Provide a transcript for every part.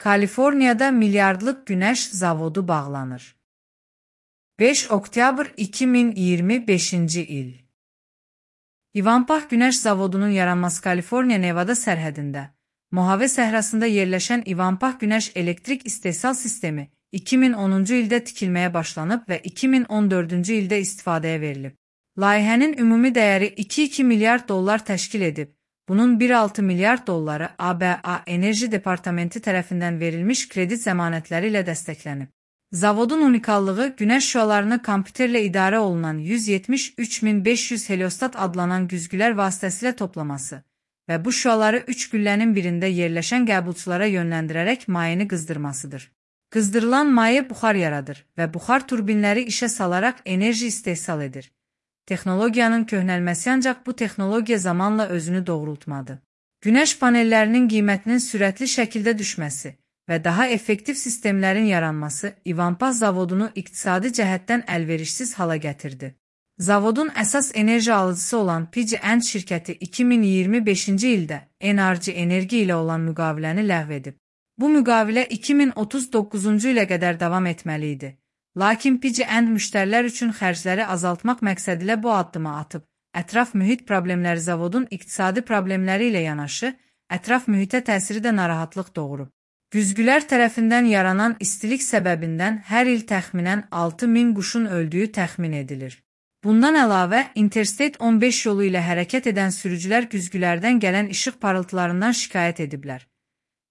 Kaliforniyada milyardlıq günəş zavodu bağlanır. 5 oktyabr 2025-ci il. Ivanpah Günəş Zavodunun yaranması Kaliforniya Nevada sərhədində, Mojave səhrasında yerləşən Ivanpah Günəş Elektrik İstehsal Sistemi 2010-cu ildə tikilməyə başlanıb və 2014-cü ildə istifadəyə verilib. Layihənin ümumi dəyəri 2,2 milyard dollar təşkil edib. Bunun 1,6 milyard dolları ABA Enerji Departamenti tərəfindən verilmiş kredit zəmanətləri ilə dəstəklənib. Zavodun unikallığı günəş şüalarını kompüterlə idarə olunan 173.500 heliostat adlanan güzgülər vasitəsilə toplaması və bu şüaları 3 güllənin birində yerləşən qəbulçulara yönləndirərək mayeni qızdırmasıdır. Qızdırılan maye buxar yaradır və buxar turbinləri işə salaraq enerji istehsal edir. Texnologiyanın köhnəlməsi ancaq bu texnologiya zamanla özünü doğrultmadı. Günəş panellərinin qiymətinin sürətli şəkildə düşməsi və daha effektiv sistemlərin yaranması Ivanpah zavodunu iqtisadi cəhətdən əlverişsiz hala gətirdi. Zavodun əsas enerji alıcısı olan PG&E şirkəti 2025-ci ildə NRG Enerji ilə olan müqaviləni ləğv edib. Bu müqavilə 2039-cu ilə qədər davam etməli idi. Lakin PG&E müştərilər üçün xərcləri azaltmaq məqsədilə bu addımı atıb. Ətraf mühit problemləri zavodun iqtisadi problemləri ilə yanaşı, ətraf mühitə təsiri də narahatlıq doğurub. Güzgülər tərəfindən yaranan istilik səbəbindən hər il təxminən 6.000 quşun öldüyü təxmin edilir. Bundan əlavə, Interstate 15 yolu ilə hərəkət edən sürücülər güzgülərdən gələn işıq parıltılarından şikayət ediblər.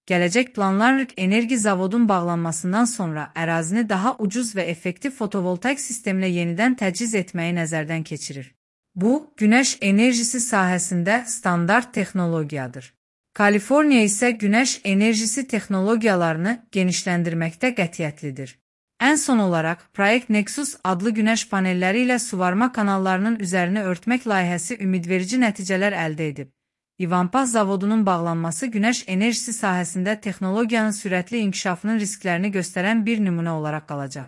Gələcək planlar enerji zavodun bağlanmasından sonra ərazini daha ucuz və effektiv fotovoltaik sistemlə yenidən təchiz etməyi nəzərdən keçirir. Bu, günəş enerjisi sahəsində standart texnologiyadır. Kaliforniya isə günəş enerjisi texnologiyalarını genişləndirməkdə qətiyyətlidir. Ən son olaraq, Project Nexus adlı günəş panelləri ilə suvarma kanallarının üzərini örtmək layihəsi ümidverici nəticələr əldə edib. Ivanpah zavodunun bağlanması günəş enerjisi sahəsində texnologiyanın sürətli inkişafının risklərini göstərən bir nümunə olaraq qalacaq.